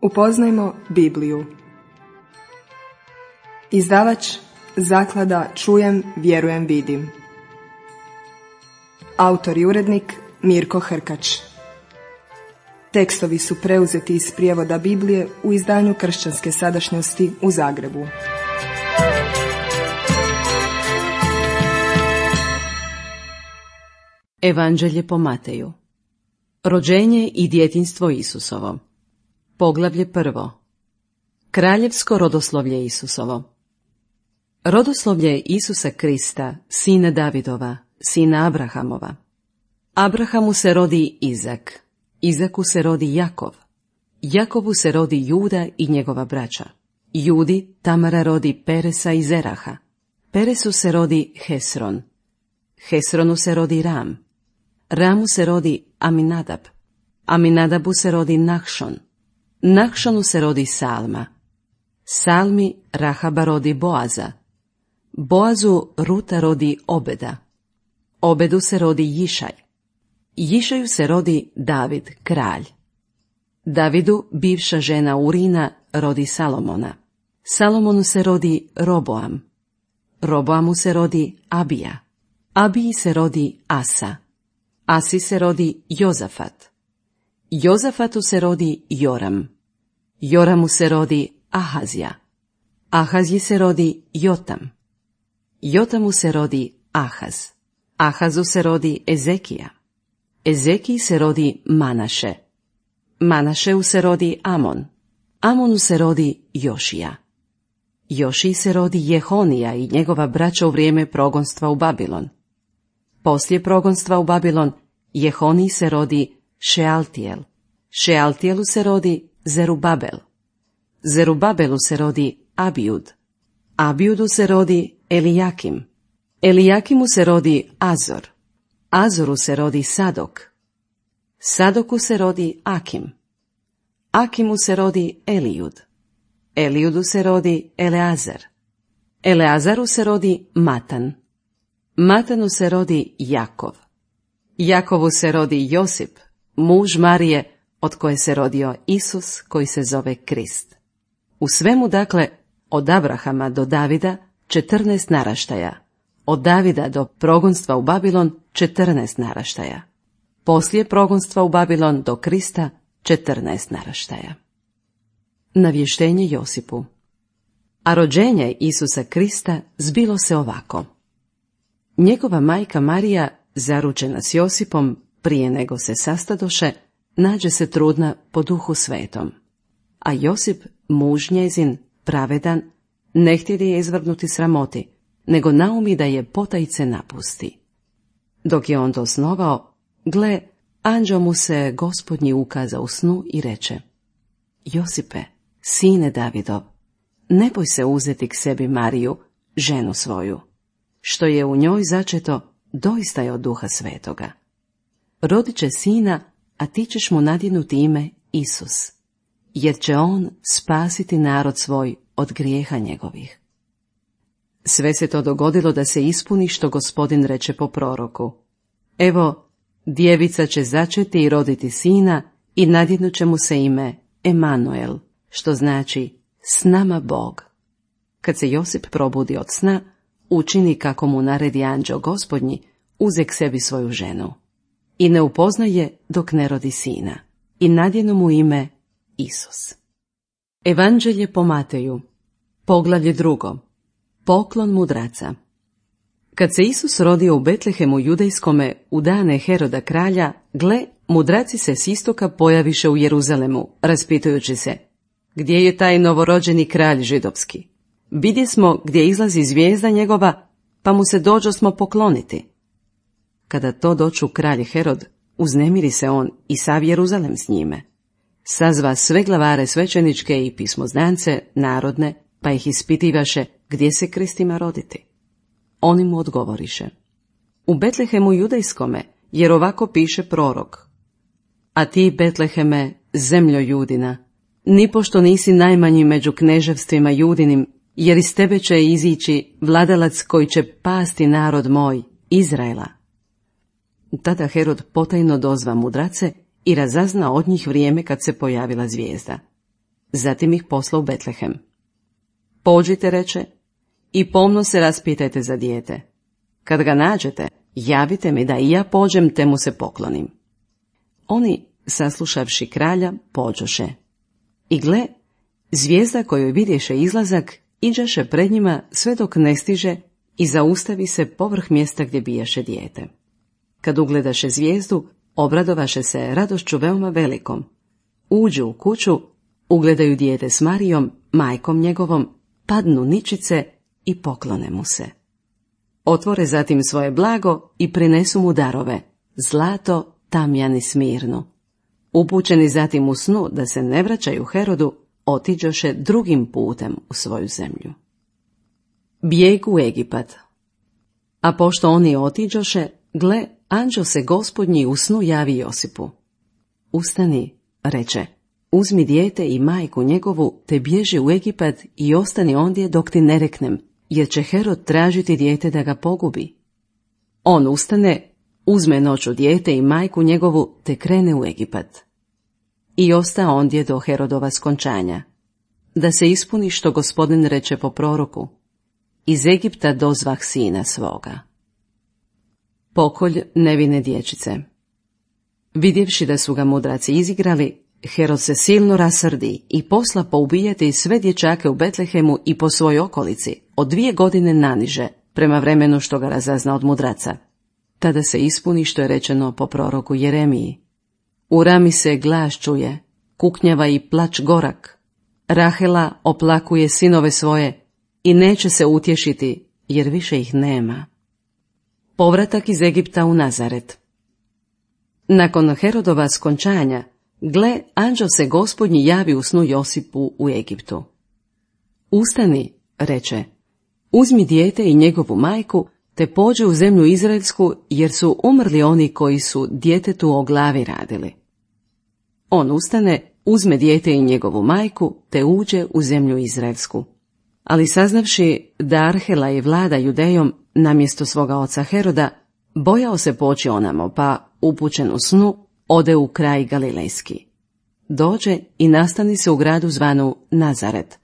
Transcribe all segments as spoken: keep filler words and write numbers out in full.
Upoznajmo Bibliju. Izdavač Zaklada Čujem, vjerujem, vidim. Autor i urednik Mirko Hrkač. Tekstovi su preuzeti iz prijevoda Biblije u izdanju Kršćanske sadašnjosti u Zagrebu. Evanđelje po Mateju. Rođenje i djetinjstvo Isusovo. Poglavlje prvo. Kraljevsko rodoslovlje Isusovo. Rodoslovlje Isusa Krista, sina Davidova, sina Abrahamova. Abrahamu se rodi Izak, Izaku se rodi Jakov, Jakovu se rodi Juda i njegova braća. Judi Tamara rodi Peresa i Zeraha, Peresu se rodi Hesron, Hesronu se rodi Ram, Ramu se rodi Aminadab, Aminadabu se rodi Nahšon, Nahšonu se rodi Salma, Salmi Rahaba rodi Boaza, Boazu Ruta rodi Obeda, Obedu se rodi Jišaj, Jišaju se rodi David, kralj. Davidu bivša žena Urina rodi Salomona, Salomonu se rodi Roboam, Roboamu se rodi Abija, Abiji se rodi Asa, Asi se rodi Jozafat, Jozafatu se rodi Joram, Joramu se rodi Ahazija, Ahazji se rodi Jotam, Jotamu se rodi Ahaz, Ahazu se rodi Ezekija, Ezekiji se rodi Manaše, Manašeu se rodi Amon, Amonu se rodi Jošija, Jošiji se rodi Jehonija i njegova braća u vrijeme progonstva u Babilon. Poslije progonstva u Babilon, Jehoniji se rodi Šealtijel, Šealtijelu se rodi Zerubabel, Zerubabelu se rodi Abijud, Abijudu se rodi Elijakim, Elijakimu se rodi Azor, Azoru se rodi Sadok, Sadoku se rodi Akim, Akimu se rodi Elijud, Elijudu se rodi Eleazar, Eleazaru se rodi Matan, Matanu se rodi Jakov, Jakovu se rodi Josip, muž Marije, od koje se rodio Isus, koji se zove Krist. U svemu, dakle, od Abrahama do Davida četrnaest naraštaja, od Davida do progonstva u Babilon četrnaest naraštaja, poslije progonstva u Babilon do Krista četrnaest naraštaja. Navještenje Josipu. A rođenje Isusa Krista zbilo se ovako. Njegova majka Marija, zaručena s Josipom, prije nego se sastadoše, nađe se trudna po Duhu Svetom. A Josip, muž njezin, pravedan, ne htjede je izvrgnuti sramoti, nego naumi da je potajice napusti. Dok je on to snovao, gle, anđeo mu se Gospodnji ukaza u snu i reče: Josipe, sine Davidov, ne boj se uzeti k sebi Mariju, ženu svoju. Što je u njoj začeto, doista je od Duha Svetoga. Rodit će sina, a ti ćeš mu nadjenuti ime Isus, jer će on spasiti narod svoj od grijeha njegovih. Sve se to dogodilo da se ispuni što Gospodin reče po proroku. Evo, djevica će začeti i roditi sina i nadjenut će mu se ime Emanuel, što znači s nama Bog. Kad se Josip probudi od sna, učini kako mu naredi anđeo Gospodnji, uze k sebi svoju ženu. I ne upoznaje dok ne rodi sina. I nadjenu mu ime Isus. Evanđelje po Mateju. Poglavlje drugo. Poklon mudraca. Kad se Isus rodio u Betlehemu judejskome u dane Heroda kralja, gle, mudraci se s istoka pojaviše u Jeruzalemu, raspitujući se: gdje je taj novorođeni kralj židovski? Vidje smo gdje izlazi zvijezda njegova, pa mu se dođosmo pokloniti. Kada to doču kralj Herod, uznemiri se on i sav Jeruzalem s njime. Sazva sve glavare svećeničke i pismoznance narodne, pa ih ispitivaše gdje se Kristima roditi. Oni mu odgovoriše: u Betlehemu judejskome, jer ovako piše prorok: a ti, Betleheme, zemljo Judina, nipošto nisi najmanji među kneževstvima Judinim, jer iz tebe će izići vladalac koji će pasti narod moj, Izraela. Tada Herod potajno dozva mudrace i razazna od njih vrijeme kad se pojavila zvijezda. zatim ih posla u Betlehem. Pođite, reče, i pomno se raspitajte za dijete. Kad ga nađete, javite mi da i ja pođem te mu se poklonim. Oni, saslušavši kralja, pođoše. I gle, zvijezda koju vidješe izlazak, iđaše pred njima sve dok ne stiže i zaustavi se povrh mjesta gdje bijaše dijete. Kad ugledaše zvijezdu, obradovaše se radošću veoma velikom. Uđu u kuću, ugledaju dijete s Marijom, majkom njegovom, padnu ničice i poklone mu se. Otvore zatim svoje blago i prinesu mu darove, zlato, tamjan i smirnu. Upućeni zatim u snu da se ne vraćaju Herodu, otiđoše drugim putem u svoju zemlju. Bijeg u Egipat. A pošto oni otiđoše, gle, anđeo se Gospodnji u snu javi Josipu. Ustani, reče, uzmi dijete i majku njegovu, te bježi u Egipat i ostani ondje dok ti ne reknem, jer će Herod tražiti dijete da ga pogubi. On ustane, uzme noću dijete i majku njegovu, te krene u Egipat. I osta ondje do Herodova skončanja, da se ispuni što Gospodin reče po proroku, iz Egipta dozvah sina svoga. Pokolj nevine dječice. Vidjevši da su ga mudraci izigrali, Herod se silno rasrdi i posla poubijati sve dječake u Betlehemu i po svojoj okolici, od dvije godine naniže, prema vremenu što ga razazna od mudraca. Tada se ispuni što je rečeno po proroku Jeremiji. U rami se glas čuje, kuknjava i plač gorak. Rahela oplakuje sinove svoje i neće se utješiti, jer više ih nema. Povratak iz Egipta u Nazaret. Nakon Herodova skončanja, gle, anđeo se Gospodnji javi u snu Josipu u Egiptu. Ustani, reče, uzmi dijete i njegovu majku, te pođi u zemlju Izraelsku, jer su umrli oni koji su djetetu o glavi radili. On ustane, uzme dijete i njegovu majku, te uđe u zemlju Izraelsku. Ali saznavši da Arhela i vlada Judejom namjesto svoga oca Heroda, bojao se poći onamo, pa, upućen u snu, ode u kraj Galilejski. Dođe i nastani se u gradu zvanu Nazaret,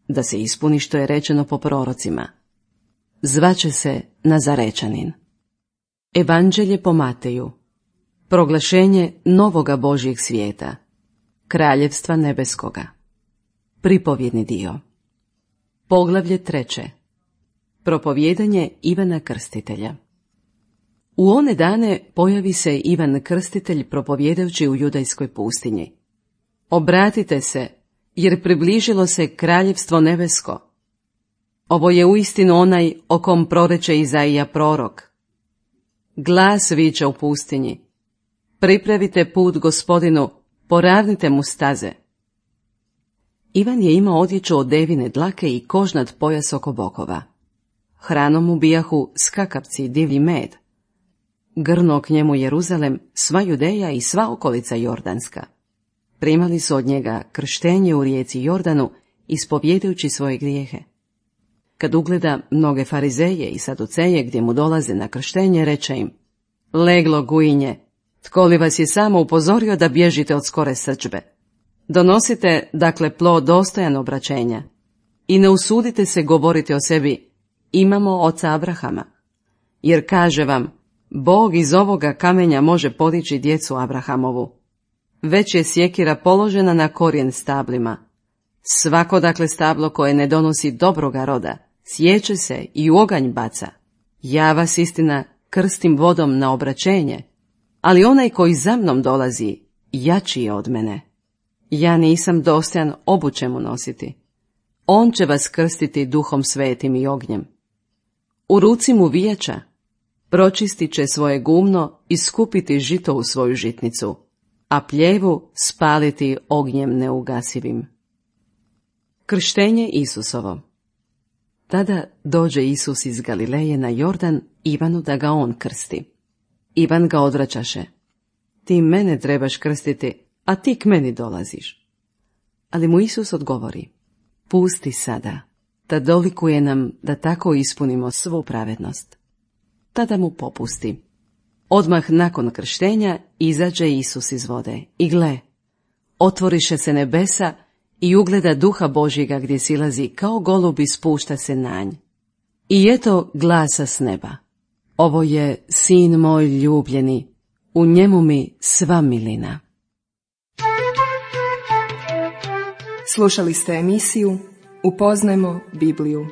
da se ispuni što je rečeno po prorocima. Zvaće se Nazarečanin. Evanđelje po Mateju. Proglašenje novoga Božjeg svijeta. Kraljevstva nebeskoga. Pripovjedni dio. Poglavlje treće. Propovjedanje Ivana Krstitelja. U one dane pojavi se Ivan Krstitelj propovjedajući u judajskoj pustinji. Obratite se, jer približilo se kraljevstvo nebesko. Ovo je uistinu onaj o kom proreče Izaija prorok. Glas viče u pustinji. Pripravite put Gospodinu, poravnite mu staze. Ivan je imao odjeću od devine dlake i kožnat pojas oko bokova. Hranom mu bijahu skakavci i divlji med. Grnuo k njemu Jeruzalem, sva Judeja i sva okolica Jordanska. Primali su od njega krštenje u rijeci Jordanu, ispovjedajući svoje grijehe. Kad ugleda mnoge farizeje i saduceje gdje mu dolaze na krštenje, reče im, leglo gujinje, tko li vas je samo upozorio da bježite od skore srdžbe? Donosite, dakle, plod dostojan obraćenja i ne usudite se govoriti o sebi, imamo oca Abrahama, jer kaže vam, Bog iz ovoga kamenja može podići djecu Abrahamovu. Već je sjekira položena na korijen stablima. Svako dakle stablo koje ne donosi dobroga roda, sječe se i u oganj baca. Ja vas, istina, krstim vodom na obraćenje, ali onaj koji za mnom dolazi, jači je od mene. Ja nisam dostojan obuće mu nositi. On će vas krstiti duhom svetim i ognjem. U ruci mu vijača, pročistit će svoje gumno i skupiti žito u svoju žitnicu, a pljevu spaliti ognjem neugasivim. Krštenje Isusovo. Tada dođe Isus iz Galileje na Jordan Ivanu da ga on krsti. Ivan ga odvraćaše. Ti mene trebaš krstiti, a ti k meni dolaziš. Ali mu Isus odgovori, pusti sada, da dolikuje nam da tako ispunimo svu pravednost. Tada mu popusti. Odmah nakon krštenja izađe Isus iz vode i gle, otvoriše se nebesa i ugleda duha Božjega gdje silazi kao golub i spušta se na nj. I eto glasa s neba. Ovo je sin moj ljubljeni, u njemu mi sva milina. Slušali ste emisiju Upoznajmo Bibliju.